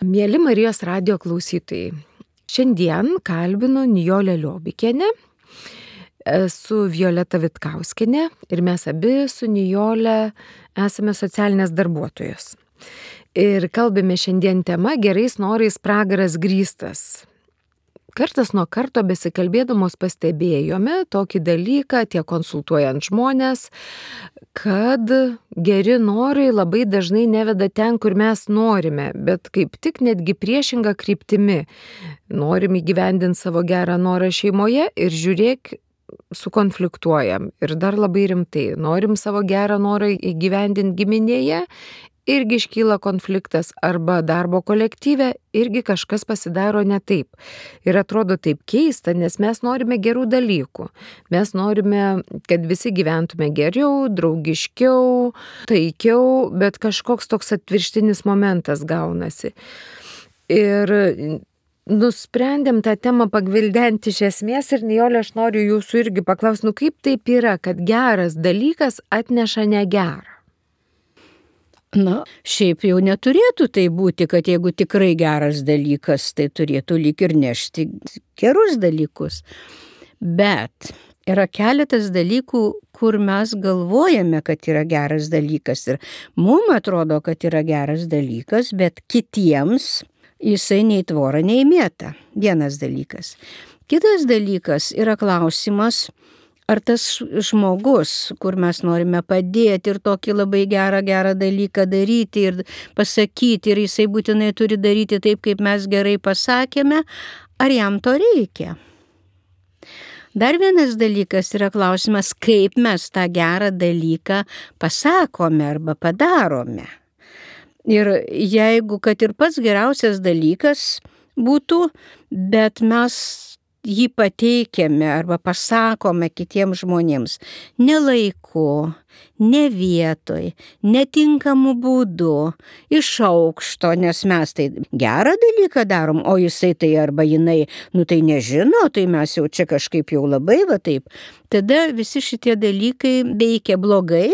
Mieli Marijos radijo klausytojai, šiandien kalbinu Nijolę Liobikienę, su Violeta Vitkauskienė ir mes abi su Nijole esame socialinės darbuotojos. Ir kalbame šiandien tema gerais norais pragaras grįstas. Kartas nuo karto besikalbėdamos pastebėjome tokį dalyką, tiek konsultuojant žmonės, kad geri norai labai dažnai neveda ten, kur mes norime, bet kaip tik netgi priešinga kryptimi. Norim įgyvendinti savo gerą norą šeimoje ir žiūrėk, sukonfliktuojam. Ir dar labai rimtai, norim savo gerą norą įgyvendinti giminėje, irgi iškyla konfliktas, arba darbo kolektyve irgi kažkas pasidaro ne taip. Ir atrodo taip keista, nes mes norime gerų dalykų. Mes norime, kad visi gyventume geriau, draugiškiau, taikiau, bet kažkoks toks atvirkštinis momentas gaunasi. Ir nusprendėm tą temą pagvildenti iš esmės ir Nijolė, aš noriu jūsų irgi paklausti, kaip taip yra, kad geras dalykas atneša negerą? Šiaip jau neturėtų tai būti, kad jeigu tikrai geras dalykas, tai turėtų lyg ir nešti gerus dalykus. Bet yra keletas dalykų, kur mes galvojame, kad yra geras dalykas ir mums atrodo, kad yra geras dalykas, bet kitiems jisai nei tvorą, nei mėtą. Vienas dalykas. Kitas dalykas yra klausimas, ar tas žmogus, kur mes norime padėti ir tokį labai gerą dalyką daryti ir pasakyti, ir jisai būtinai turi daryti taip, kaip mes gerai pasakėme, ar jam to reikia? Dar vienas dalykas yra klausimas, kaip mes tą gerą dalyką pasakome arba padarome. Ir jeigu, kad ir pats geriausias dalykas būtų, bet mes jį pateikiame arba pasakome kitiems žmonėms ne laiku, ne vietoj, netinkamu būdu, iš aukšto, nes mes tai gerą dalyką darom, o jisai tai arba jinai, tai nežino, tai mes jau čia kažkaip jau labai va taip. Tada visi šitie dalykai veikia blogai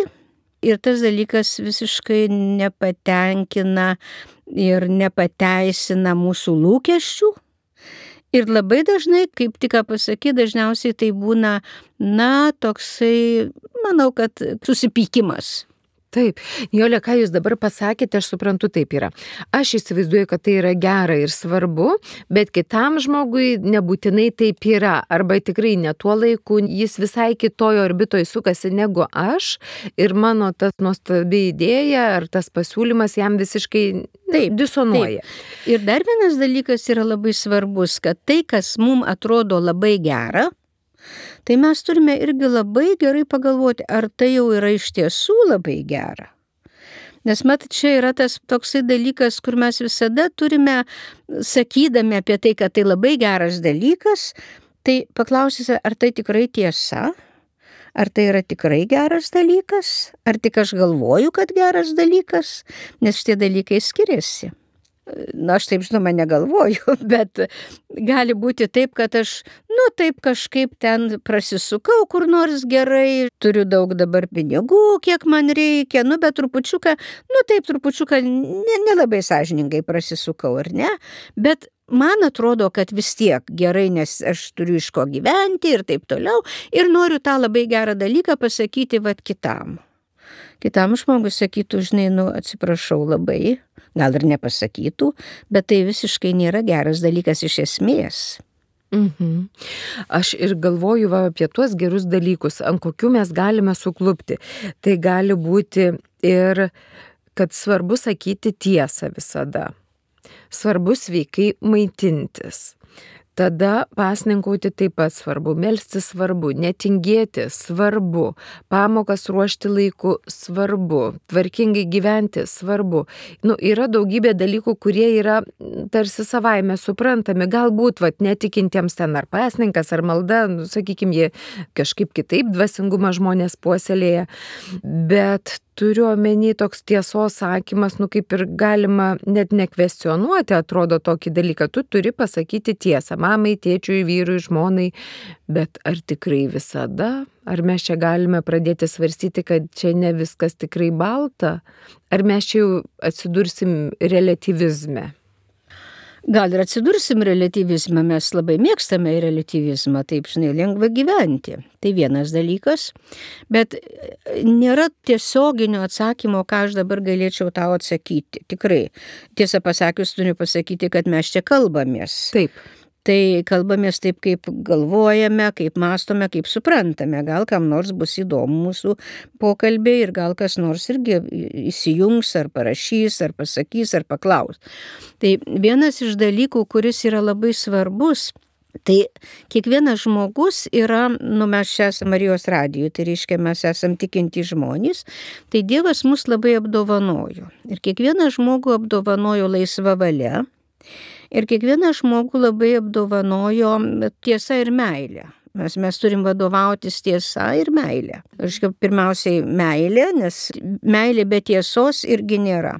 ir tas dalykas visiškai nepatenkina ir nepateisina mūsų lūkesčių. Ir labai dažnai, kaip tik pasakyti, dažniausiai tai būna, toksai, manau, kad susipykimas. Taip, Nijolė, ką jūs dabar pasakėte, aš suprantu, taip yra. Aš įsivaizduoju, kad tai yra gera ir svarbu, bet kitam žmogui nebūtinai taip yra. Arba tikrai ne tuo laiku, jis visai kitojo orbitoje sukasi negu aš ir mano tas nuostabi idėja ar tas pasiūlymas jam visiškai disonuoja. Taip. Ir dar vienas dalykas yra labai svarbus, kad tai, kas mums atrodo labai gera, tai mes turime irgi labai gerai pagalvoti, ar tai jau yra iš tiesų labai gera. Nes čia yra tas toksai dalykas, kur mes visada turime, sakydami apie tai, kad tai labai geras dalykas, tai paklausysime, ar tai tikrai tiesa, ar tai yra tikrai geras dalykas, ar tik aš galvoju, kad geras dalykas, nes šitie dalykai skiriasi. Aš taip žinoma negalvoju, bet gali būti taip, kad aš, taip kažkaip ten prasisukau kur nors gerai, turiu daug dabar pinigų, kiek man reikia, bet trupučiuką, trupučiuką nelabai sąžiningai prasisukau, ar ne? Bet man atrodo, kad vis tiek gerai, nes aš turiu iš ko gyventi ir taip toliau, ir noriu tą labai gerą dalyką pasakyti kitam. Kitam žmogus sakytų, žinai, atsiprašau labai, gal ir nepasakytų, bet tai visiškai nėra geras dalykas iš esmės. Aš ir galvoju apie tuos gerus dalykus, ant kokių mes galime suklupti. Tai gali būti ir, kad svarbu sakyti tiesą visada. Svarbu sveikai maitintis. Tada pasninkauti taip pat svarbu, melstis svarbu, netingėti svarbu, pamokas ruošti laiku svarbu, tvarkingai gyventi svarbu. Yra daugybė dalykų, kurie yra tarsi savaime suprantami, galbūt netikintiems ten ar pasninkas, ar malda, sakykime, jie kažkaip kitaip dvasingumą žmonės puoselėja, bet turiu omeny toks tiesos sakymas, kaip ir galima net nekvestionuoti, atrodo tokį dalyką, tu turi pasakyti tiesą, mamai, tėčiui, vyrui, žmonai, bet ar tikrai visada? Ar mes čia galime pradėti svarstyti, kad čia ne viskas tikrai balta? Ar mes čia jau atsidursim relativizme? Gal ir atsidursim relatyvizmą, mes labai mėgstame relatyvizmą, taip, lengva gyventi. Tai vienas dalykas, bet nėra tiesioginio atsakymo, ką aš dabar galėčiau tau atsakyti. Tikrai, tiesą pasakius, turiu pasakyti, kad mes čia kalbamės. Taip. Tai kalbamės taip, kaip galvojame, kaip mąstome, kaip suprantame. Gal kam nors bus įdomu mūsų pokalbiai ir gal kas nors irgi įsijungs, ar parašys, ar pasakys, ar paklaus. Tai vienas iš dalykų, kuris yra labai svarbus, tai kiekvienas žmogus yra, mes čia esame Marijos radijuje, tai reiškia mes esame tikinti žmonės, tai Dievas mus labai apdovanojo. Ir kiekvieną žmogų apdovanojo laisva valia. Ir kiekvieną žmogų labai apdovanojo tiesa ir meilė. Mes turim vadovautis tiesa ir meilė. Pirmiausiai meilė, nes meilė be tiesos irgi nėra.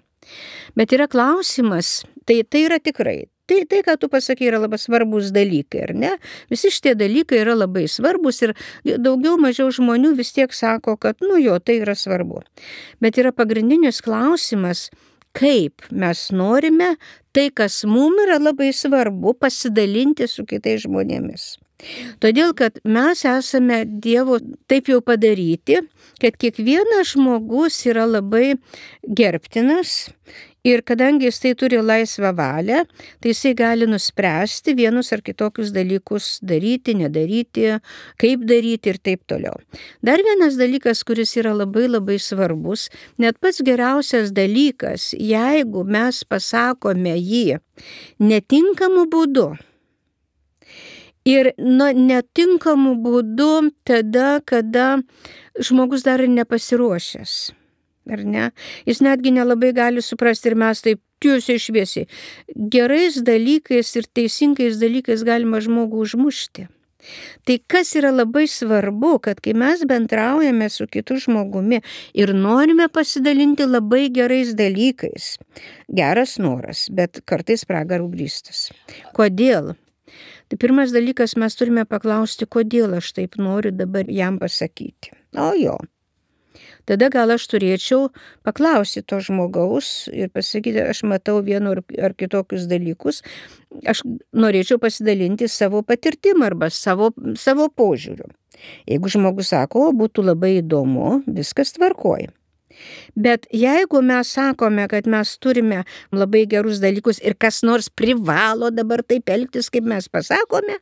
Bet yra klausimas, tai yra tikrai. Tai, ką tu pasakai, yra labai svarbus dalykai, ar ne? Visi šitie dalykai yra labai svarbus ir daugiau mažiau žmonių vis tiek sako, kad tai yra svarbu. Bet yra pagrindinis klausimas, kaip mes norime tai, kas mums yra labai svarbu, pasidalinti su kitais žmonėmis. Todėl, kad mes esame Dievo taip jau padaryti, kad kiekvienas žmogus yra labai gerbtinas ir kadangi jis tai turi laisvą valią, tai jisai gali nuspręsti vienus ar kitokius dalykus daryti, nedaryti, kaip daryti ir taip toliau. Dar vienas dalykas, kuris yra labai labai svarbus, net pats geriausias dalykas, jeigu mes pasakome jį netinkamu būdu. Ir netinkamu būdu tada, kada žmogus dar ir nepasiruošęs. Ar ne? Jis netgi nelabai gali suprasti ir mes taip tiesiai šviesiai. Gerais dalykais ir teisingais dalykais galima žmogų užmušti. Tai kas yra labai svarbu, kad kai mes bendraujame su kitu žmogumi ir norime pasidalinti labai gerais dalykais, geras noras, bet kartais pragarų grįstas. Kodėl? Tai pirmas dalykas, mes turime paklausti, kodėl aš taip noriu dabar jam pasakyti. Tada gal aš turėčiau paklausyti to žmogaus ir pasakyti, aš matau vienu ar kitokius dalykus, aš norėčiau pasidalinti savo patirtimą arba savo požiūriu. Jeigu žmogus sako, būtų labai įdomu, viskas tvarkoja. Bet jeigu mes sakome, kad mes turime labai gerus dalykus ir kas nors privalo dabar taip elgtis, kaip mes pasakome,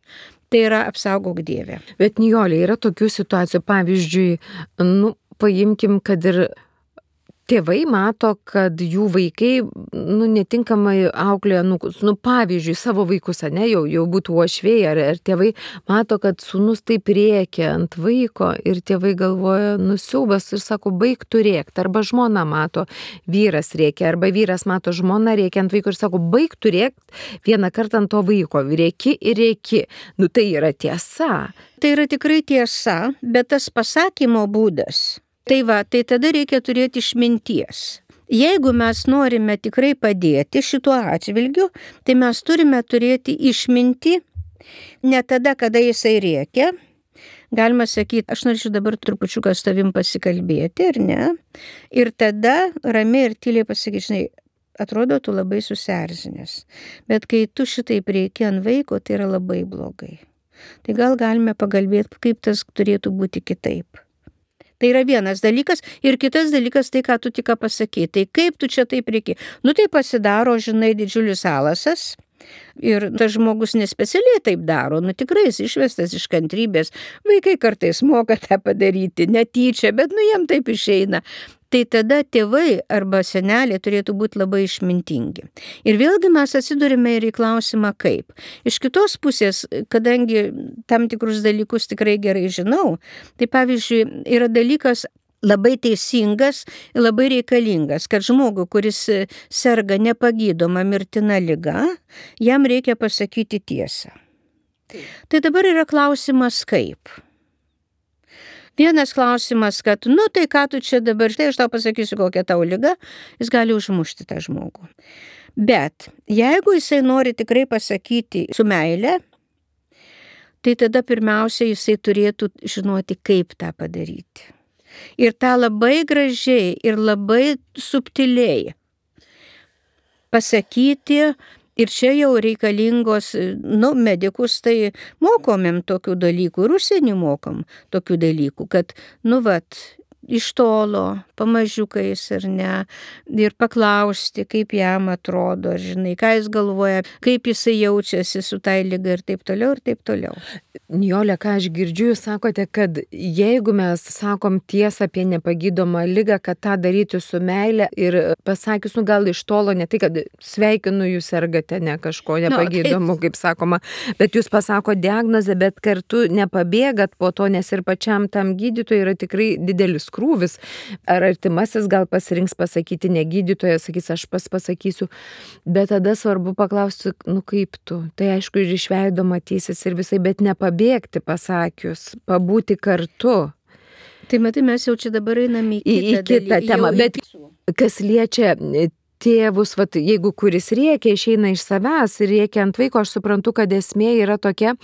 tai yra apsaugok Dieve. Bet Nijolė, yra tokių situacijų, pavyzdžiui, paimkim, kad ir tėvai mato, kad jų vaikai netinkamai auklėja, pavyzdžiui, savo vaikus, jau būtų uošviai, ar tėvai mato, kad sūnus taip rėkia ant vaiko ir tėvai galvoja, siaubas ir sako, baik tu rėkti, arba žmona mato, vyras rėkia, arba vyras mato žmona rėkia ant vaiko ir sako, baik tu rėkti vieną kartą ant to vaiko, rėki ir rėki. Tai yra tiesa. Tai yra tikrai tiesa, bet tas pasakymo būdas. Tai tada reikia turėti išminties. Jeigu mes norime tikrai padėti šituo atžvilgiu, tai mes turime turėti išmintį, ne tada, kada jisai rėkia. Galima sakyti, aš norėčiau dabar trupučiuką su tavim pasikalbėti, ar ne? Ir tada ramiai ir tyliai pasakyti, atrodo, tu labai susierzinęs. Bet kai tu šitaip rėki ant vaiko, tai yra labai blogai. Tai gal galime pagalbėti, kaip tas turėtų būti kitaip. Tai yra vienas dalykas ir kitas dalykas, tai ką tu tik pasakei. Tai kaip tu čia taip reikia? Tai pasidaro, didžiulis alasas ir tas žmogus nespecialiai taip daro. Tikrai jis išvestas iš kantrybės. Vaikai kartais moka tą padaryti, netyčia, bet jiem taip išeina. Tai tada tėvai arba seneliai turėtų būti labai išmintingi. Ir vėlgi mes atsidurime ir į klausimą kaip. Iš kitos pusės, kadangi tam tikrus dalykus tikrai gerai žinau, tai pavyzdžiui yra dalykas labai teisingas ir labai reikalingas, kad žmogui, kuris serga nepagydoma mirtina liga, jam reikia pasakyti tiesą. Tai dabar yra klausimas kaip. Vienas klausimas, kad, tai ką tu čia dabar, štai aš tau pasakysiu, kokia tau liga, jis gali užmušti tą žmogų. Bet jeigu jisai nori tikrai pasakyti su meile, tai tada pirmiausia jisai turėtų žinoti, kaip tą padaryti. Ir tą labai gražiai ir labai subtiliai pasakyti Ir čia jau reikalingos, medikus tai mokomėm tokių dalykų ir užsienį mokom tokių dalykų, kad, iš tolo, pamažiukais ar ne, ir paklausti, kaip jam atrodo, žinai, ką jis galvoja, kaip jisai jaučiasi su tai liga ir taip toliau, ir taip toliau. Nijole, ką aš girdžiu, jūs sakote, kad jeigu mes sakom tiesą apie nepagydomą ligą, kad tą daryti su meile ir pasakius, gal iš tolo, ne tai, kad sveikinu, jūs sergate ne kažko nepagydomu, kaip sakoma, bet jūs pasako diagnozę, bet kartu nepabėgat po to, nes ir pačiam tam gydytojui yra tikrai didelis krūvis. Ar artimasis gal pasirinks pasakyti, ne gydytojas, sakys, aš pasakysiu, bet tada svarbu paklausti, kaip tu. Tai aišku, ir iš veido matysis ir visai, bet nepabėgti pasakius, pabūti kartu. Tai matai, mes jau čia dabar einame į kitą temą, bet kas liečia tėvus, jeigu kuris rėkia, išeina iš savęs ir rėkia ant vaiko, aš suprantu, kad esmė yra tokia,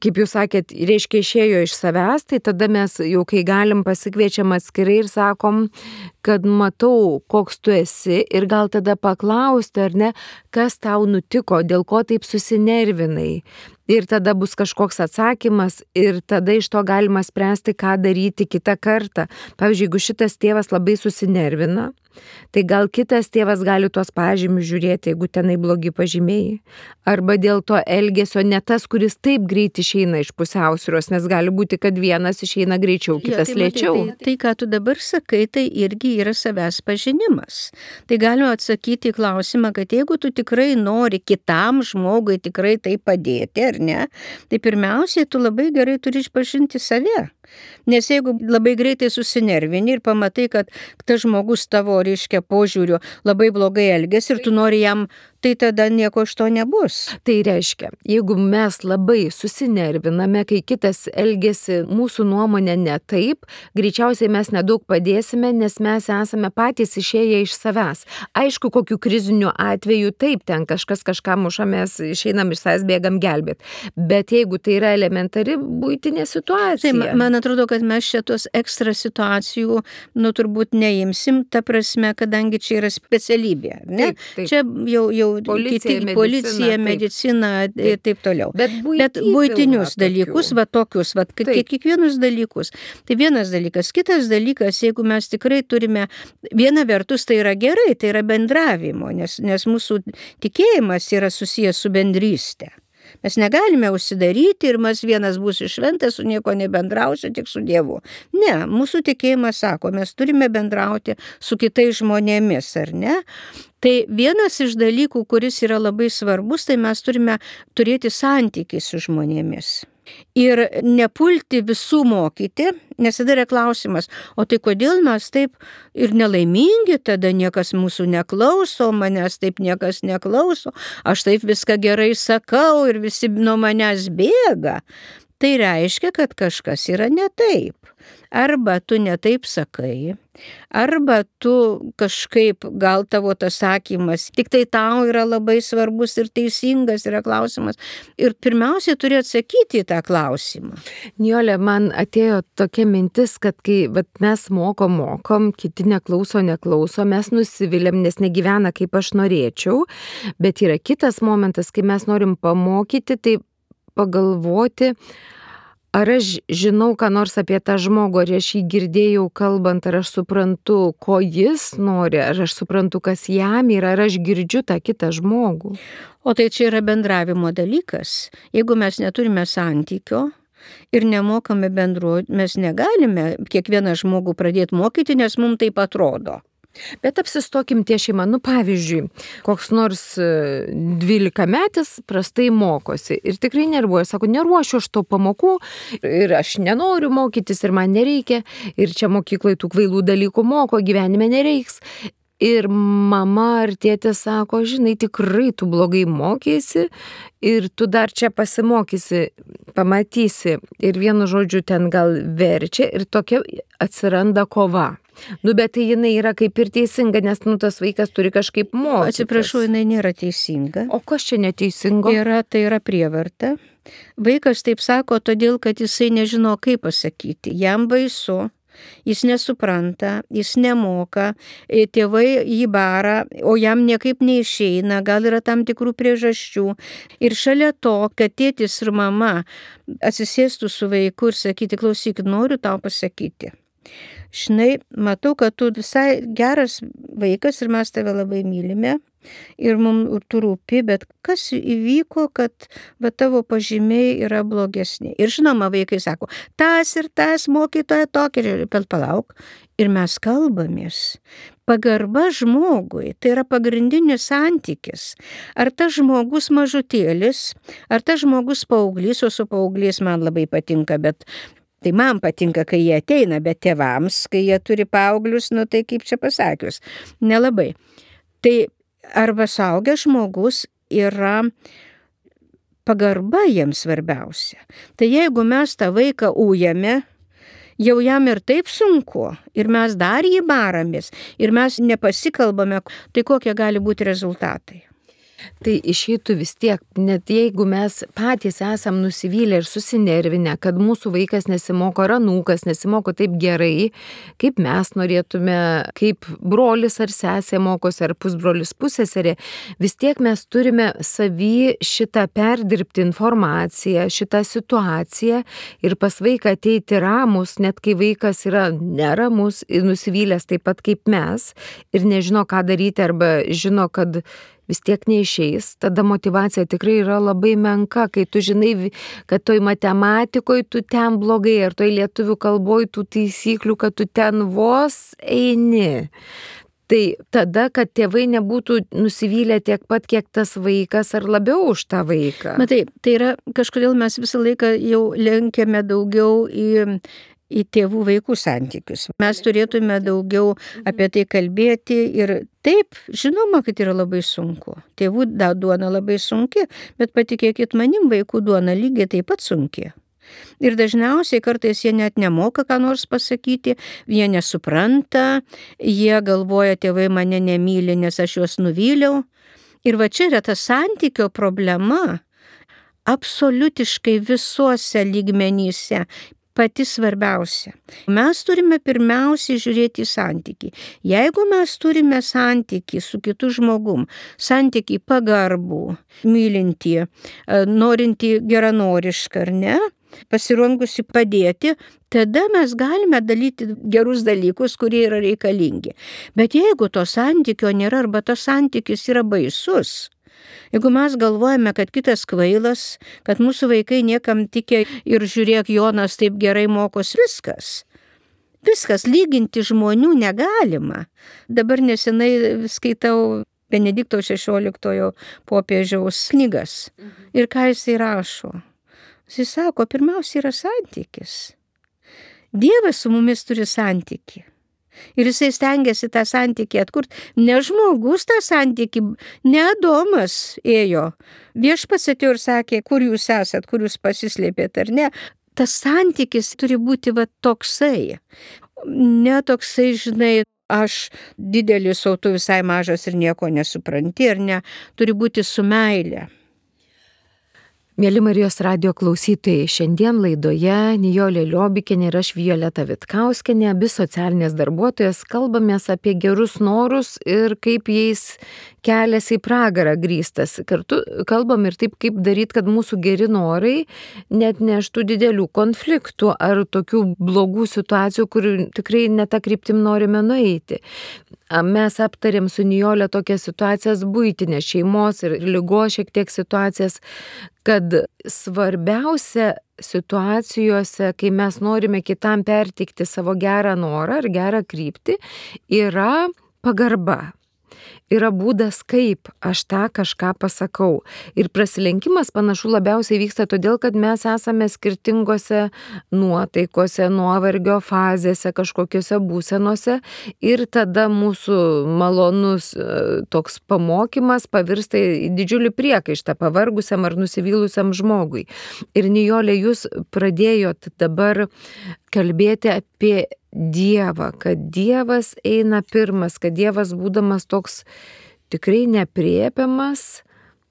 kaip jūs sakėt, reiškia išėjo iš savęs, tai tada mes jau kai galim pasikviečiam atskirai ir sakom, kad matau, koks tu esi ir gal tada paklausti, ar ne, kas tau nutiko, dėl ko taip susinervinai. Ir tada bus kažkoks atsakymas ir tada iš to galima spręsti, ką daryti kitą kartą. Pavyzdžiui, jeigu šitas tėvas labai susinervina, tai gal kitas tėvas gali tuos pažymius žiūrėti, jeigu tenai blogi pažymėjai. Arba dėl to elgesio ne tas, kuris taip greit išeina iš pusiausvyros, nes gali būti, kad vienas išeina greičiau, kitas lėčiau. Tai, ką tu dabar sakai, tai irgi yra savęs pažinimas. Tai galima atsakyti į klausimą, kad jeigu tu tikrai nori kitam žmogui tikrai tai padėti, ar ne, tai pirmiausiai tu labai gerai turi išpažinti save. Nes jeigu labai greitai susinervini ir pamatai, kad tas žmogus tavo, reiškia, požiūriu labai blogai elgiasi ir tu nori jam, tai tada nieko iš to nebus. Tai reiškia, jeigu mes labai susinerviname, kai kitas elgiasi mūsų nuomonė ne taip, greičiausiai mes nedaug padėsime, nes mes esame patys išėję iš savęs. Aišku, kokiu kriziniu atveju taip, ten kažkas kažką muša, mes išeinam iš savęs, bėgam gelbėt. Bet jeigu tai yra elementari buitinė situacija. Tai man atrodo, kad mes šitos ekstra situacijų, turbūt neimsim, ta prasme, kadangi čia yra specialybė, ne? Taip. Čia jau policija, medicina ir taip toliau. Bet buitinius dalykus, tokius, kiekvienus dalykus. Tai vienas dalykas. Kitas dalykas, jeigu mes tikrai turime, viena vertus tai yra gerai, tai yra bendravimo, nes mūsų tikėjimas yra susijęs su bendrystė. Mes negalime užsidaryti ir mes vienas bus šventas, su nieko nebendrausiu, tik su Dievu. Ne, mūsų tikėjimas sako, mes turime bendrauti su kitais žmonėmis, ar ne? Tai vienas iš dalykų, kuris yra labai svarbus, tai mes turime turėti santykį su žmonėmis. Ir nepulti visų mokyti, nes tada yra klausimas, o tai kodėl mes taip ir nelaimingi, tada niekas mūsų neklauso, manęs taip niekas neklauso, aš taip viską gerai sakau ir visi nuo manęs bėga. Tai reiškia, kad kažkas yra ne taip. Arba tu ne taip sakai, arba tu kažkaip, gal tavo tas sakymas, tik tai tau yra labai svarbus ir teisingas yra klausimas. Ir pirmiausia, turi atsakyti į tą klausimą. Nijole, man atėjo tokia mintis, kad kai mes mokom, kiti neklauso, mes nusiviliam, nes negyvena kaip aš norėčiau, bet yra kitas momentas, kai mes norim pamokyti, tai pagalvoti, ar aš žinau, ką nors apie tą žmogų, ar aš jį girdėjau kalbant, ar aš suprantu, ko jis nori, ar aš suprantu, kas jam yra, ar aš girdžiu tą kitą žmogų. O tai čia yra bendravimo dalykas. Jeigu mes neturime santykio ir nemokame bendruoti, mes negalime kiekvieną žmogų pradėti mokyti, nes mums taip atrodo. Bet apsistokim ties šeima. Pavyzdžiui, koks nors 12-metis prastai mokosi ir tikrai nervuoja, sako, neruošiu aš to pamokų ir aš nenoriu mokytis ir man nereikia ir čia mokyklai tų kvailų dalykų moko, gyvenime nereiks. Ir mama ar tėtė sako, žinai, tikrai tu blogai mokėsi ir tu dar čia pasimokysi, pamatysi. Ir vienu žodžiu ten gal verčia ir tokia atsiranda kova. Bet tai jinai yra kaip ir teisinga, nes tas vaikas turi kažkaip mokytis. Atsiprašau, jinai nėra teisinga. O kas čia neteisingo? Tai yra prievarta. Vaikas taip sako, todėl, kad jisai nežino, kaip pasakyti. Jam baisu. Jis nesupranta, jis nemoka, tėvai jį bara, o jam niekaip neišeina, gal yra tam tikrų priežasčių. Ir šalia to, kad tėtis ir mama atsisėstų su vaiku ir sakyti, klausyk, noriu tau pasakyti. Žinai, matau, kad tu visai geras vaikas ir mes tave labai mylime ir mums tu rūpi, bet kas įvyko, kad tavo pažymiai yra blogesni. Ir žinoma, vaikai sako, tas ir tas mokytoja tokia, bet palauk. Ir mes kalbamės. Pagarba žmogui, tai yra pagrindinis santykis. Ar tas žmogus mažutėlis, ar tas žmogus paauglys, o su paauglys man labai patinka, bet tai man patinka, kai jie ateina, bet tėvams, kai jie turi paauglius, tai kaip čia pasakius, nelabai. Tai arba suaugęs žmogus yra pagarba jiems svarbiausia. Tai jeigu mes tą vaiką ujame, jau jam ir taip sunku, ir mes dar jį baramės, ir mes nepasikalbame, tai kokie gali būti rezultatai. Tai išeitų vis tiek, net jeigu mes patys esam nusivylę ir susinervinę, kad mūsų vaikas nesimoko, ar anūkas nesimoko taip gerai, kaip mes norėtume, kaip brolis ar sesė mokosi, ar pusbrolis pusseserė, vis tiek mes turime savy šitą perdirbti informaciją, šitą situaciją ir pas vaiką ateiti ramus, net kai vaikas yra neramus ir nusivylęs taip pat kaip mes ir nežino, ką daryti, arba žino, kad vis tiek neišeis, tada motyvacija tikrai yra labai menka, kai tu žinai, kad toj matematikoje tu ten blogai, ar toj lietuvių kalboje tų taisyklių, kad tu ten vos eini. Tai tada, kad tėvai nebūtų nusivylę tiek pat, kiek tas vaikas, ar labiau už tą vaiką. Matai, tai yra kažkodėl mes visą laiką jau lenkiame daugiau į tėvų vaikų santykius. Mes turėtume daugiau apie tai kalbėti ir taip, žinoma, kad yra labai sunku. Tėvų duona labai sunki, bet patikėkit manim, vaikų duona lygiai taip pat sunki. Ir dažniausiai kartais jie net nemoka ką nors pasakyti, jie nesupranta, jie galvoja, tėvai mane nemyli, nes aš juos nuvyliau. Ir va čia yra ta santykio problema absoliutiškai visuose lygmenyse. Pati svarbiausia. Mes turime pirmiausiai žiūrėti į santykį. Jeigu mes turime santykį su kitu žmogum, santykį pagarbų, mylintį, norintį geranorišką, ar ne, pasirengusi padėti, tada mes galime dalyti gerus dalykus, kurie yra reikalingi. Bet jeigu to santykio nėra, arba tas santykis yra baisus, jeigu mes galvojame, kad kitas kvailas, kad mūsų vaikai niekam tikė ir žiūrėk, Jonas taip gerai mokos, viskas, lyginti žmonių negalima. Dabar nesenai skaitau Benedikto XVI popiežiaus knygas. Ir ką jisai rašo? Jisai sako, pirmiausia yra santykis. Dievas su mumis turi santykį. Ir jisai stengiasi tą santykį atkurti. Ne žmogus tą santykį, ne Adomas ėjo. Viešpats atėjo ir sakė, kur jūs esat, kur jūs pasislėpėt, ar ne. Tas santykis turi būti toksai. Ne toksai, žinai, aš didelis, o tu visai mažas ir nieko nesupranti, ar ne. Turi būti su meile. Mėly Marijos radijo klausytojai, šiandien laidoje Nijolė Liobikienė ir aš Violeta Vitkauskienė, abi socialinės darbuotojas, kalbamės apie gerus norus ir kaip jais kelias į pragarą grįstas. Kartu kalbam ir taip, kaip daryti, kad mūsų geri norai net neštų didelių konfliktų ar tokių blogų situacijų, kur tikrai ne tą kryptim norime nueiti. Mes aptarėm su Nijolė tokias situacijas buitinės, šeimos ir ligos šiek tiek situacijas, kad svarbiausia situacijose, kai mes norime kitam perteikti savo gerą norą ar gerą kryptį, yra pagarba. Yra būdas, kaip aš tą kažką pasakau. Ir prasilenkimas panašu labiausiai vyksta todėl, kad mes esame skirtingose nuotaikose, nuovargio fazėse, kažkokiose būsenose ir tada mūsų malonus toks pamokymas pavirsta į didžiulį priekaištą pavargusiam ar nusivylusiam žmogui. Ir Nijolė, jūs pradėjot dabar kalbėti apie Dievą, kad Dievas eina pirmas, kad Dievas būdamas toks tikrai nepriepiamas,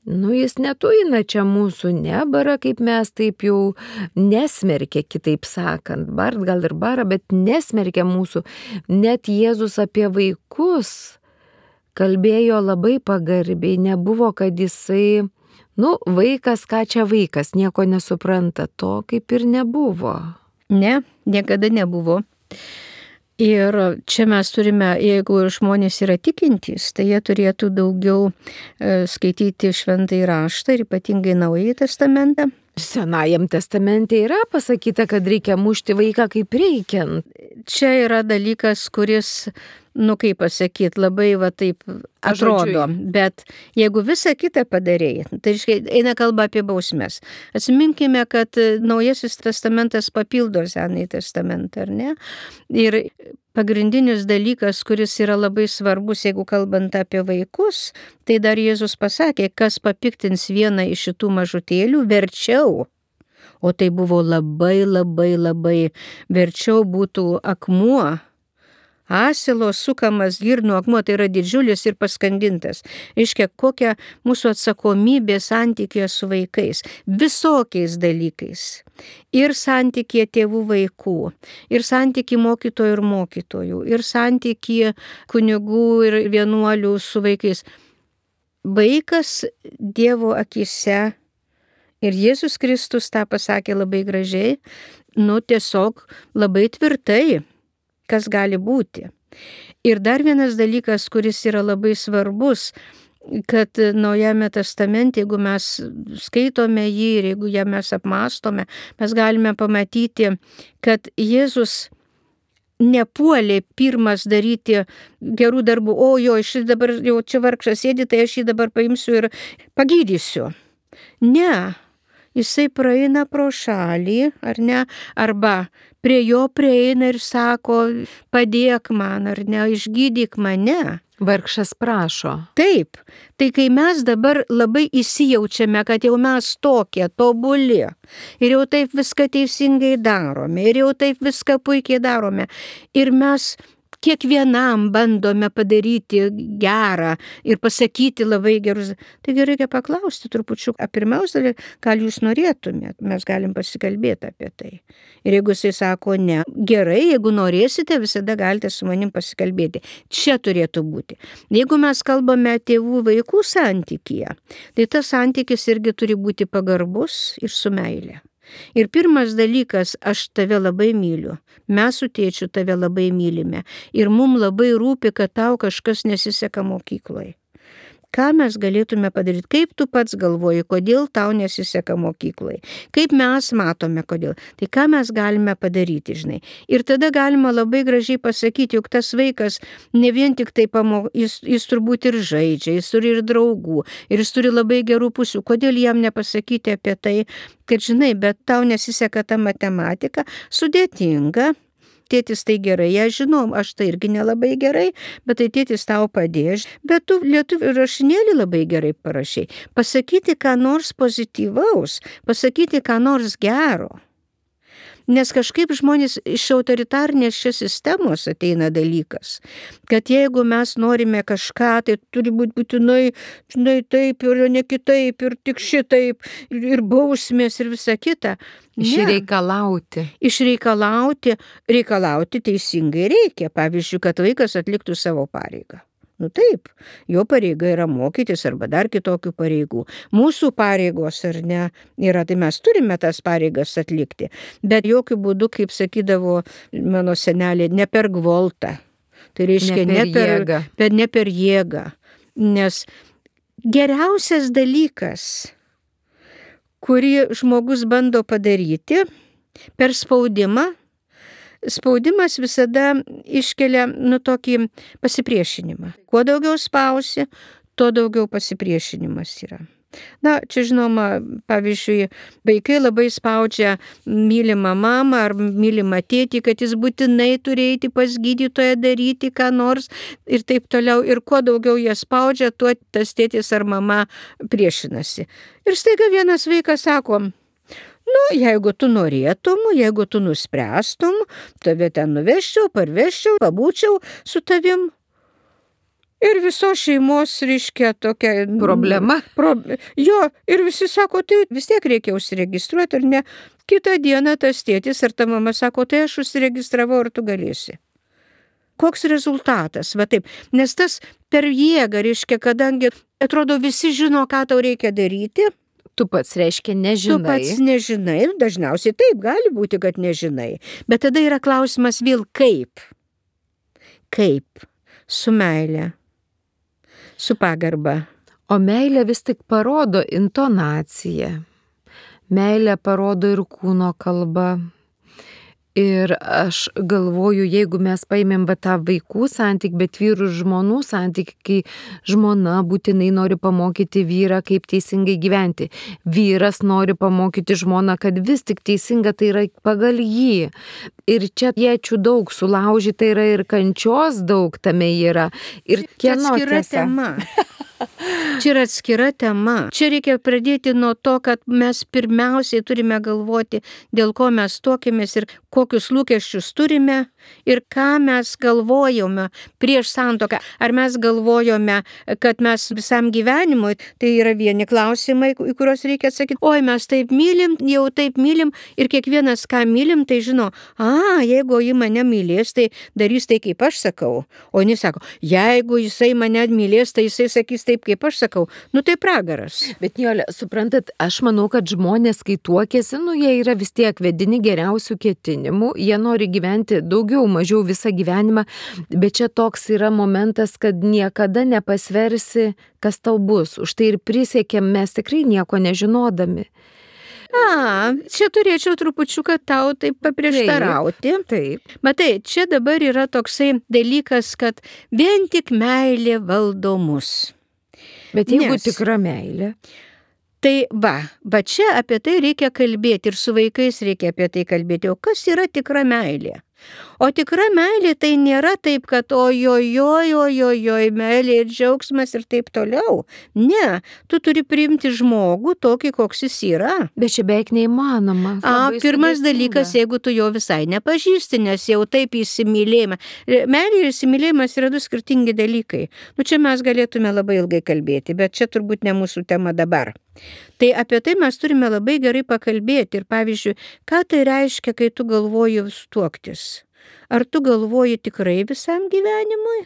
Jis netuina čia mūsų, nebara, kaip mes taip jau nesmerkia, kitaip sakant, bart gal ir bara, bet nesmerkia mūsų. Net Jėzus apie vaikus kalbėjo labai pagarbiai, nebuvo, kad jisai, vaikas, ką čia vaikas, nieko nesupranta, to kaip ir nebuvo. Ne, niekada nebuvo. Ir čia mes turime, jeigu žmonės yra tikintys, tai jie turėtų daugiau skaityti Šventąjį raštą ir ypatingai Naująjį testamentą. Senajam testamente yra pasakyta, kad reikia mušti vaiką kaip reikiant. Čia yra dalykas, kuris, kaip pasakyti, labai taip atrodo, bet jeigu visą kitą padarėjai, tai eina kalba apie bausmes. Atsiminkime, kad Naujasis testamentas papildo Senąjį testamentą, ar ne? Ir pagrindinis dalykas, kuris yra labai svarbus, jeigu kalbant apie vaikus, tai dar Jėzus pasakė, kas papiktins vieną iš šitų mažutėlių, verčiau. O tai buvo labai, labai, labai verčiau būtų akmuo, asilo sukamas girnų akmuo, tai yra didžiulis ir paskandintas. Reiškia, kokia mūsų atsakomybė santykėje su vaikais, visokiais dalykais. Ir santykėje tėvų vaikų, ir santykėje mokytojų ir mokytojų, ir santykėje kunigų ir vienuolių su vaikais. Vaikas Dievo akise, ir Jėzus Kristus tą pasakė labai gražiai, tiesiog labai tvirtai, kas gali būti. Ir dar vienas dalykas, kuris yra labai svarbus, kad Naujame testamente, jeigu mes skaitome jį ir jeigu ją mes apmąstome, mes galime pamatyti, kad Jėzus nepuolė pirmas daryti gerų darbų, šis dabar jau čia vargšas sėdi, tai aš jį dabar paimsiu ir pagydysiu. Ne, jisai praeina pro šalį, ar ne, arba prie jo prieina ir sako, padėk man, ar ne, išgydyk mane. Vargšas prašo. Taip, tai kai mes dabar labai įsijaučiame, kad jau mes tokie tobuli ir jau taip viską teisingai darome, ir jau taip viską puikiai darome, ir mes kiekvienam bandome padaryti gerą ir pasakyti labai gerus. Taigi reikia paklausti trupučiu, pirmiausia, gal jūs norėtumėt, mes galim pasikalbėti apie tai. Ir jeigu jisai sako ne, gerai, jeigu norėsite, visada galite su manim pasikalbėti. Čia turėtų būti. Jeigu mes kalbame tėvų vaikų santykyje, tai tas santykis irgi turi būti pagarbus ir su meile. Ir pirmas dalykas, aš tave labai myliu, mes su tėčiu tave labai mylime ir mums labai rūpi, kad tau kažkas nesiseka mokykloje. Ką mes galėtume padaryti? Kaip tu pats galvoji, kodėl tau nesiseka mokykloje? Kaip mes matome, kodėl? Tai ką mes galime padaryti, žinai? Ir tada galima labai gražiai pasakyti, juk tas vaikas ne vien tik tai jis turbūt ir žaidžia, jis turi ir draugų, ir jis turi labai gerų pusių. Kodėl jam nepasakyti apie tai, kad žinai, bet tau nesiseka ta matematika, sudėtinga. Tėtis tai gerai, aš žinau, aš tai irgi nelabai gerai, bet tai tėtis tau padės, bet tu lietuvių rašinėlį labai gerai parašai. Pasakyti ką nors pozityvaus, pasakyti ką nors gero. Nes kažkaip žmonės iš autoritarnės šios sistemos ateina dalykas, kad jeigu mes norime kažką, tai turi būti būtinai, žinai, taip ir ne kitaip, ir tik šitaip, ir bausmės, ir visa kita. Išreikalauti. Reikalauti teisingai reikia. Pavyzdžiui, kad vaikas atliktų savo pareigą. Taip, jo pareiga yra mokytis arba dar kitokių pareigų. Mūsų pareigos ar ne yra, tai mes turime tas pareigas atlikti. Bet jokių būdų, kaip sakydavo mano senelė, ne per gvoltą. Tai reiškia ne per jėgą. Nes geriausias dalykas, kurį žmogus bando padaryti per spaudimą, spaudimas visada iškelia tokį pasipriešinimą. Kuo daugiau spausi, tuo daugiau pasipriešinimas yra. Čia žinoma, pavyzdžiui, vaikai labai spaudžia mylimą mamą ar mylimą tėtį, kad jis būtinai turi eiti pas gydytoją, daryti ką nors ir taip toliau. Ir kuo daugiau jie spaudžia, tuo tas tėtis ar mama priešinasi. Ir staiga vienas vaikas sako, jeigu tu norėtum, jeigu tu nuspręstum, tave ten nuveščiau, parveščiau, pabūčiau su tavim. Ir visos šeimos, reiškia, tokia Problema. Jo, ir visi sako, tai vis tiek reikia užsiregistruoti, ar ne? Kitą dieną tas tėtis ar ta mama sako, tai aš užsiregistravau, ar tu galėsi. Koks rezultatas, va taip, nes tas per jėgą, reiškia, kadangi atrodo visi žino, ką tau reikia daryti, Tu pats reiškia nežinai. tu pats nežinai, dažniausiai taip gali būti, kad nežinai, bet tada yra klausimas vėl kaip. Kaip? Su meile. Su pagarba. O meilė vis tik parodo intonaciją. Meilė parodo ir kūno kalbą. Ir aš galvoju, jeigu mes paimėm tą vaikų santykį, bet vyrų ir žmonų santykį, kai žmona būtinai nori pamokyti vyrą, kaip teisingai gyventi. Vyras nori pamokyti žmoną, kad vis tik teisinga tai yra pagal jį. Ir čia iečių daug sulaužyta yra ir kančios daug tame yra. Ir kieno tiesa. Tema. Čia yra atskira tema. Čia reikia pradėti nuo to, kad mes pirmiausiai turime galvoti, dėl ko mes tuokėmės ir kokius lūkesčius turime ir ką mes galvojome prieš santuoką. Ar mes galvojome, kad mes visam gyvenimui, tai yra vieni klausimai, į kuriuos reikia atsakyti. Oi, mes taip mylim, jau taip mylim ir kiekvienas, ką mylim, tai žino, jeigu ji mane mylės, tai darys tai, kaip aš sakau. O jis sako, jeigu jisai mane mylės, tai jisai sakys taip, kaip aš sakau. Nu tai pragaras. Bet Nijole, suprantat, aš manau, kad žmonės, kai tuokėsi, jie yra vis tiek vedini geriausių ketinimų, jie nori gyventi daugiau, mažiau visą gyvenimą, bet čia toks yra momentas, kad niekada nepasversi, kas tau bus. Už tai ir prisiekėm mes tikrai nieko nežinodami. Čia turėčiau trupučiuką tau taip paprieštarauti. Taip. Matai, čia dabar yra toksai dalykas, kad vien tik meilė valdo mus. Bet jeigu tikra meilė. Tai va čia apie tai reikia kalbėti ir su vaikais reikia apie tai kalbėti. O kas yra tikra meilė? O tikra meilė tai nėra taip, kad ojojoj, meilė ir džiaugsmas ir taip toliau. Ne, tu turi priimti žmogų tokį, koks jis yra. Bet čia beveik neįmanoma. Pirmas dalykas, jeigu tu jo visai nepažįsti, nes jau taip įsimylėjimą. Meilė ir įsimylėjimas yra du skirtingi dalykai. Čia mes galėtume labai ilgai kalbėti, bet čia turbūt ne mūsų tema dabar. Tai apie tai mes turime labai gerai pakalbėti ir pavyzdžiui, ką tai reiškia, kai tu galvoji tuoktis. Ar tu galvoji tikrai visam gyvenimui?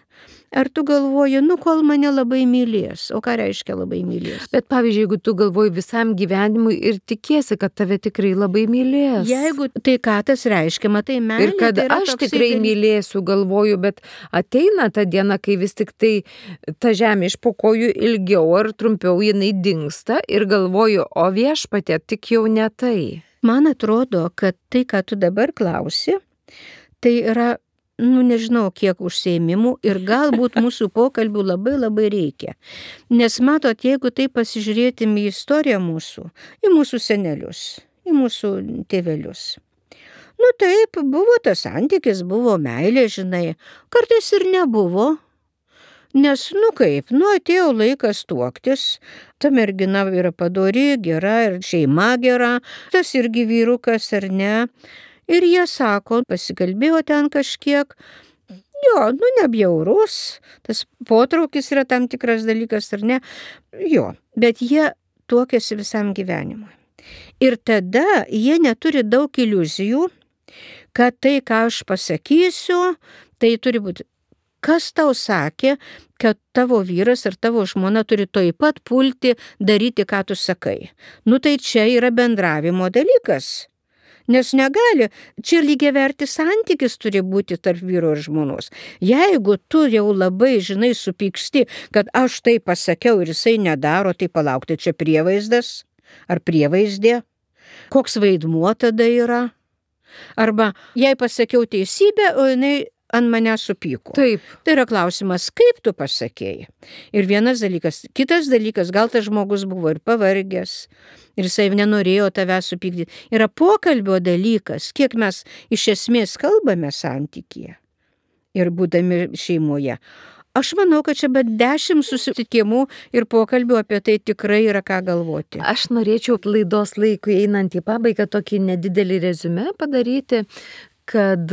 Ar tu galvoji, kol mane labai mylės? O ką reiškia labai mylės? Bet pavyzdžiui, jeigu tu galvoji visam gyvenimui ir tikiesi, kad tave tikrai labai mylės. Jeigu tai ką tas reiškia, matai, meilė. Ir kad tai aš tikrai mylėsiu, galvoju, bet ateina ta diena, kai vis tik tai ta žemė iš po kojų ilgiau ar trumpiau jinai dingsta ir galvoju, o viešpatie, tik jau ne tai. Man atrodo, kad tai, ką tu dabar klausi, tai yra, nežinau, kiek užsiėmimų ir galbūt mūsų pokalbių labai labai reikia. Nes matot, jeigu tai pasižiūrėtum į istoriją mūsų, į mūsų senelius, į mūsų tėvelius. Taip, buvo tas santykis, buvo meilė, žinai, kartais ir nebuvo. Nes, atėjo laikas tuoktis, ta mergina yra padori, gera ir šeima gera, tas irgi vyrukas ar ne. Ir jie sako, pasikalbėjo ten kažkiek, nebjaurus, tas potraukis yra tam tikras dalykas ar ne, bet jie tuokėsi visam gyvenimui. Ir tada jie neturi daug iliuzijų, kad tai, ką aš pasakysiu, tai turi būti. Kas tau sakė, kad tavo vyras ar tavo žmona turi toj pat pulti daryti, ką tu sakai? Tai čia yra bendravimo dalykas. Nes negali, čia lygiavertis santykis turi būti tarp vyro ir žmonos. Jeigu tu jau labai, supyksti, kad aš tai pasakiau ir jisai nedaro, tai palaukti, čia prievaizdas ar prievaizdė? Koks vaidmuo tada yra? Arba jei pasakiau teisybę, o jinai ant mane supyko. Taip. Tai yra klausimas, kaip tu pasakėjai. Ir vienas dalykas. Kitas dalykas, gal tas žmogus buvo ir pavargęs, ir jisai nenorėjo tave supykdyti. Yra pokalbio dalykas, kiek mes iš esmės kalbame santykyje ir būdami šeimoje. Aš manau, kad čia bet 10 susitikimų ir pokalbių apie tai tikrai yra ką galvoti. Aš norėčiau laidos laikui einant į pabaigą tokį nedidelį reziumė padaryti, kad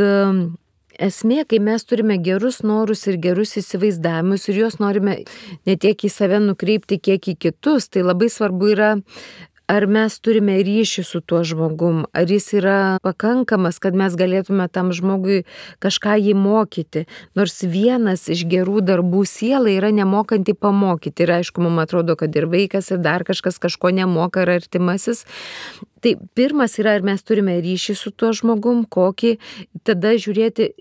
esmė, kai mes turime gerus norus ir gerus įsivaizdavimus ir juos norime ne tiek į save nukreipti, kiek į kitus, tai labai svarbu yra, ar mes turime ryšį su tuo žmogum, ar jis yra pakankamas, kad mes galėtume tam žmogui kažką jį mokyti. Nors vienas iš gerų darbų sielai yra nemokanti pamokyti. Ir aišku, mums atrodo, kad ir vaikas, ir dar kažkas kažko nemoka, ar artimasis. Tai pirmas yra, ar mes turime ryšį su tuo žmogum, kokį, tada žiūrėti,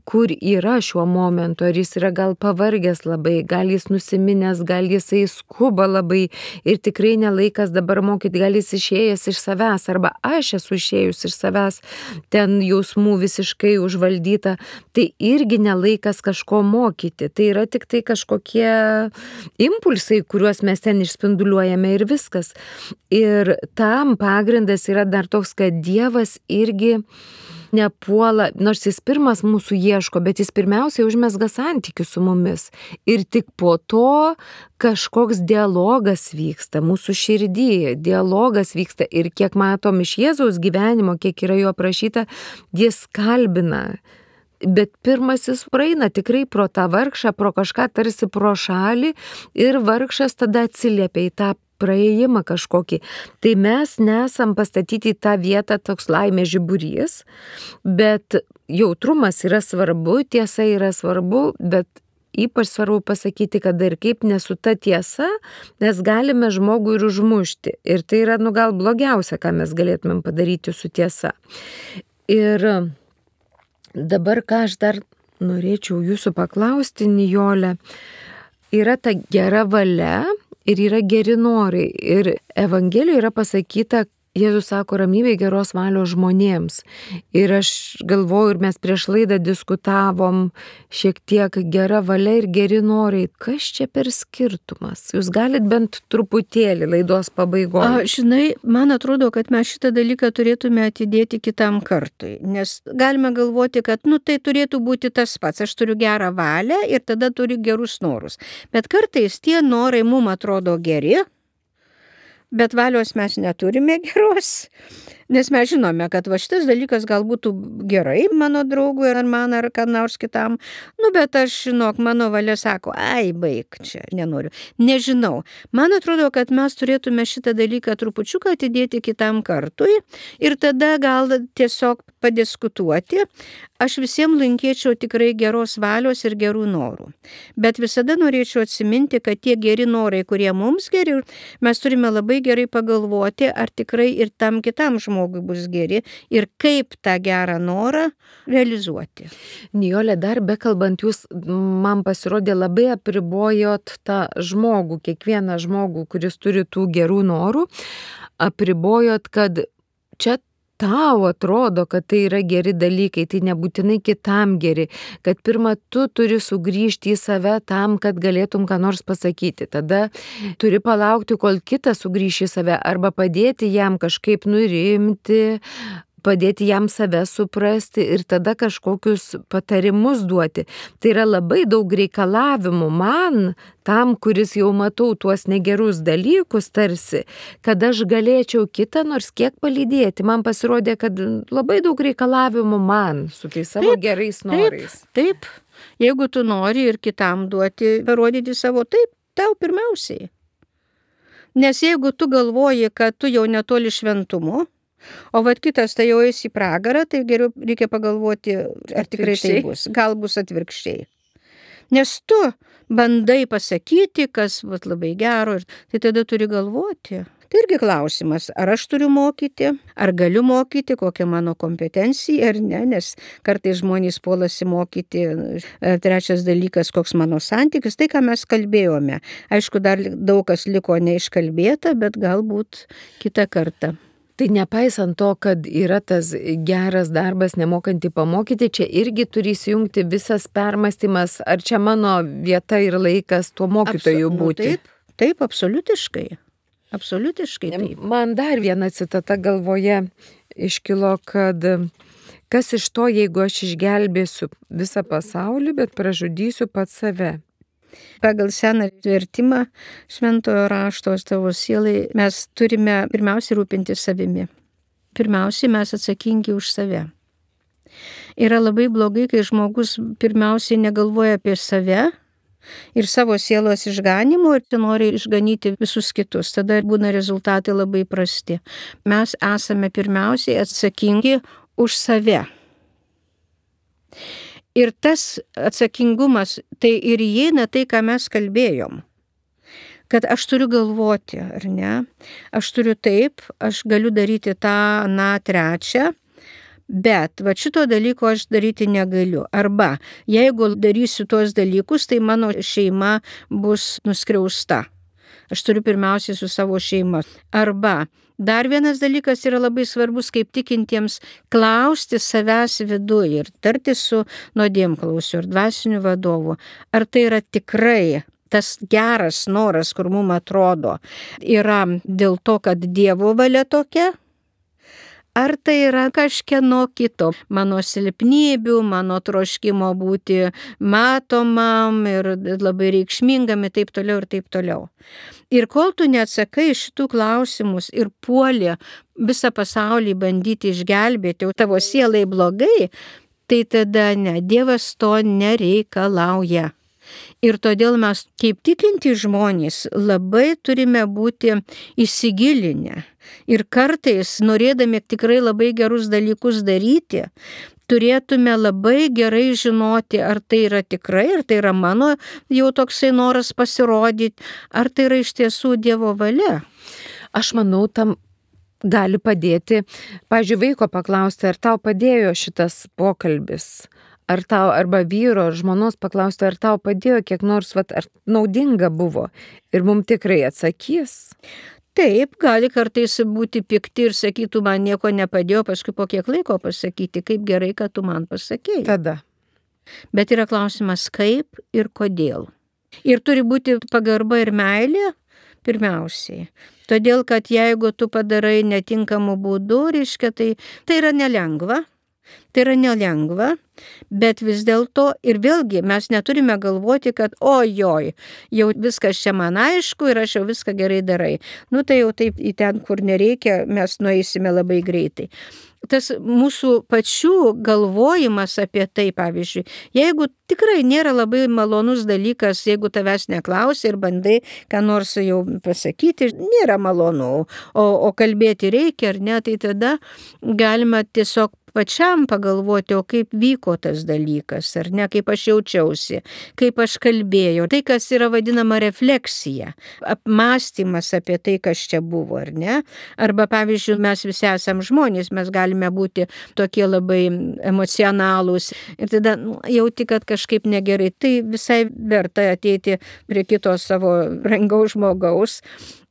kur yra šiuo momentu, ar jis yra gal pavargęs labai, gal jis nusiminęs, gal jisai skuba labai ir tikrai nelaikas dabar mokyti, gal jis išėjęs iš savęs, arba aš esu išėjus iš savęs, ten jausmų visiškai užvaldyta, tai irgi nelaikas kažko mokyti, tai yra tik tai kažkokie impulsai, kuriuos mes ten išspinduliuojame ir viskas. Ir tam pagrindas yra dar toks, kad Dievas irgi nepuola, nors jis pirmas mūsų ieško, bet jis pirmiausiai užmesga santykius su mumis. Ir tik po to kažkoks dialogas vyksta mūsų širdyje, dialogas vyksta ir kiek matom iš Jėzaus gyvenimo, kiek yra jo aprašyta, jis kalbina. Bet pirmasis praeina tikrai pro tą vargšą, pro kažką tarsi pro šalį ir vargšas tada atsiliepia į tą praėjimą kažkokį. Tai mes nesam pastatyti į tą vietą toks laimės žiburys, bet jautrumas yra svarbu, tiesa yra svarbu, bet ypač svarbu pasakyti, kad ir kaip nesu ta tiesa, mes galime žmogų ir užmušti. Ir tai yra, gal blogiausia, ką mes galėtumėm padaryti su tiesa. Ir dabar, ką aš dar norėčiau jūsų paklausti, Nijole, yra ta gera valia, ir yra geri norai. Ir Evangelijoje yra pasakyta, Jėzus sako ramybė geros valios žmonėms. Ir aš galvoju, ir mes prieš laidą diskutavom šiek tiek gera valia ir geri norai. Kas čia per skirtumas? Jūs galit bent truputėlį laidos pabaigoje. Žinai, man atrodo, kad mes šitą dalyką turėtume atidėti kitam kartui. Nes galime galvoti, kad tai turėtų būti tas pats. Aš turiu gerą valią ir tada turiu gerus norus. Bet kartais tie norai mums atrodo geri, bet valios mes neturime geros, nes mes žinome, kad šitas dalykas gal būtų gerai mano draugui ar man ar kam nors kitam, bet aš žinok, mano valia sako, baik čia, nenoriu, nežinau. Man atrodo, kad mes turėtume šitą dalyką trupučiuką atidėti kitam kartui ir tada gal tiesiog padiskutuoti. Aš visiems linkėčiau tikrai geros valios ir gerų norų. Bet visada norėčiau atsiminti, kad tie geri norai, kurie mums geri, mes turime labai gerai pagalvoti, ar tikrai ir tam kitam žmogui bus geri ir kaip tą gerą norą realizuoti. Nijole, dar bekalbant, jūs man pasirodė labai apribojot tą žmogų, kiekvieną žmogų, kuris turi tų gerų norų, apribojot, kad čia tau atrodo, kad tai yra geri dalykai, tai nebūtinai kitam geri, kad pirmą tu turi sugrįžti į save tam, kad galėtum ką nors pasakyti. Tada turi palaukti, kol kitas sugrįš į save arba padėti jam kažkaip nurimti, padėti jam save suprasti ir tada kažkokius patarimus duoti. Tai yra labai daug reikalavimų man, tam, kuris jau matau tuos negerus dalykus tarsi, kad aš galėčiau kitą nors kiek palydėti. Man pasirodė, kad labai daug reikalavimų man su tais savo gerais norais. Taip. Jeigu tu nori ir kitam duoti, parodyti savo taip, tau pirmiausiai. Nes jeigu tu galvoji, kad tu jau netoli šventumo, o kitas tai jau eis į pragarą, tai geriau reikia pagalvoti, ar tikrai tai bus. Gal bus atvirkščiai. Nes tu bandai pasakyti, kas labai gero, tai tada turi galvoti. Tai irgi klausimas, ar aš turiu mokyti, ar galiu mokyti, kokia mano kompetencija, ar ne, nes kartais žmonės puolasi mokyti. Trečias dalykas, koks mano santykis, tai ką mes kalbėjome. Aišku, dar daug kas liko neiškalbėta, bet galbūt kitą kartą. Tai nepaisant to, kad yra tas geras darbas nemokantį pamokyti, čia irgi turi įsijungti visas permąstymas, ar čia mano vieta ir laikas tuo mokytoju būti. Taip, absoliutiškai. Absoliutiškai taip. Man dar viena citata galvoje iškilo, kad kas iš to, jeigu aš išgelbėsiu visą pasaulį, bet pražudysiu pats save. Pagal seną vertimą šventojo rašto tavo sielai mes turime pirmiausiai rūpinti savimi. Pirmiausiai mes atsakingi už save. Yra labai blogai, kai žmogus pirmiausiai negalvoja apie save ir savo sielos išganimo ir nori išganyti visus kitus. Tada būna rezultatai labai prasti. Mes esame pirmiausiai atsakingi už save. Ir tas atsakingumas, tai ir įeina tai, ką mes kalbėjom. Kad aš turiu galvoti, ar ne? Aš turiu taip, aš galiu daryti tą, trečią, bet va šito dalyko aš daryti negaliu. Arba jeigu darysiu tuos dalykus, tai mano šeima bus nuskriausta. Aš turiu pirmiausiai su savo šeima. Arba dar vienas dalykas yra labai svarbus, kaip tikintiems klausti savęs viduje ir tartis su nuodėmklausiu ir dvasiniu vadovu. Ar tai yra tikrai tas geras noras, kur mums atrodo, yra dėl to, kad Dievo valia tokia? Ar tai yra kažkieno kito, mano silpnybių, mano troškimo būti matomam ir labai reikšmingam ir taip toliau ir taip toliau. Ir kol tu neatsakai šitų klausimus ir puoli visą pasaulį bandyti išgelbėti, o tavo sielai blogai, tai tada ne, Dievas to nereikalauja. Ir todėl mes, kaip tikinti žmonės, labai turime būti įsigilinę. Ir kartais, norėdami tikrai labai gerus dalykus daryti, turėtume labai gerai žinoti, ar tai yra tikrai, ar tai yra mano jau toksai noras pasirodyti, ar tai yra iš tiesų Dievo valia. Aš manau, tam gali padėti, pavyzdžiui, vaiko paklausti, ar tau padėjo šitas pokalbis. Ar tau, arba vyro, ar žmonos paklausti, ar tau padėjo kiek nors, ar naudinga buvo. Ir mums tikrai atsakys. Taip, gali kartais būti pikti ir sakytų, man nieko nepadėjo, paskui po kiek laiko pasakyti, kaip gerai, kad tu man pasakėjai. Tada. Bet yra klausimas, kaip ir kodėl. Ir turi būti pagarba ir meilė pirmiausiai. Todėl, kad jeigu tu padarai netinkamų būdų, reiškia, tai yra nelengva. Tai yra nelengva, bet vis dėlto ir vėlgi mes neturime galvoti, kad ojoj, jau viskas čia man aišku ir aš jau viską gerai darai. Tai jau taip į ten, kur nereikia, mes nueisime labai greitai. Tas mūsų pačių galvojimas apie tai, pavyzdžiui, jeigu tikrai nėra labai malonus dalykas, jeigu tavęs neklausia ir bandai ką nors jau pasakyti, nėra malonu, o kalbėti reikia ar ne, tai tada galima tiesiog pačiam pagalvoti, o kaip vyko tas dalykas, ar ne, kaip aš jaučiausi, kaip aš kalbėjau. Tai, kas yra vadinama refleksija, apmąstymas apie tai, kas čia buvo, ar ne. Arba, pavyzdžiui, mes visi esam žmonės, mes galime būti tokie labai emocionalūs ir tada jauti, kad kažkaip negerai. Tai visai verta ateiti prie kito savo brangaus žmogaus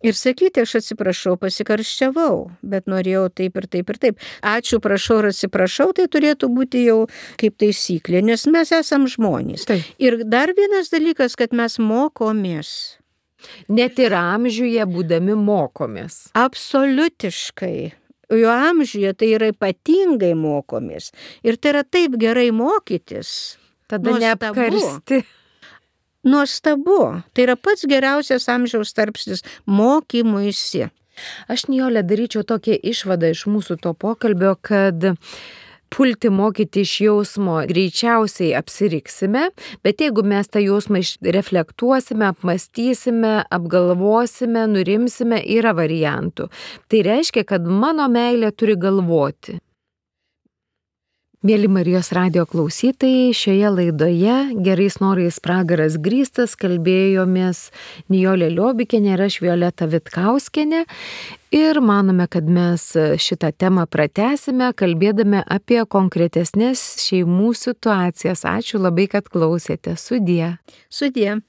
ir sakyti, aš atsiprašau, pasikarščiavau, bet norėjau taip ir taip ir taip. Ačiū, prašau ir atsiprašau, tai turėtų būti jau kaip taisyklė, nes mes esam žmonės. Taip. Ir dar vienas dalykas, kad mes mokomės. Net ir amžiuje būdami mokomės. Absoliutiškai. Jo amžiuje tai yra ypatingai mokomės. Ir tai yra taip gerai mokytis. Tada neapkarsti. Nuostabu. Tai yra pats geriausias amžiaus tarpsnis mokymuisi. Aš, Nijole, daryčiau tokią išvadą iš mūsų to pokalbio, kad pulti mokyti iš jausmo greičiausiai apsiriksime, bet jeigu mes tą jausmą reflektuosime, apmąstysime, apgalvosime, nurimsime, yra variantų. Tai reiškia, kad mano meilė turi galvoti. Mėly Marijos radijo klausytojai, šioje laidoje Gerais norais pragaras grįstas kalbėjomės Nijolė Liobikienė ir aš Violeta Vitkauskienė ir manome, kad mes šitą temą pratęsime, kalbėdami apie konkretesnės šeimų situacijas. Ačiū labai, kad klausėte. Sudie. Sudie.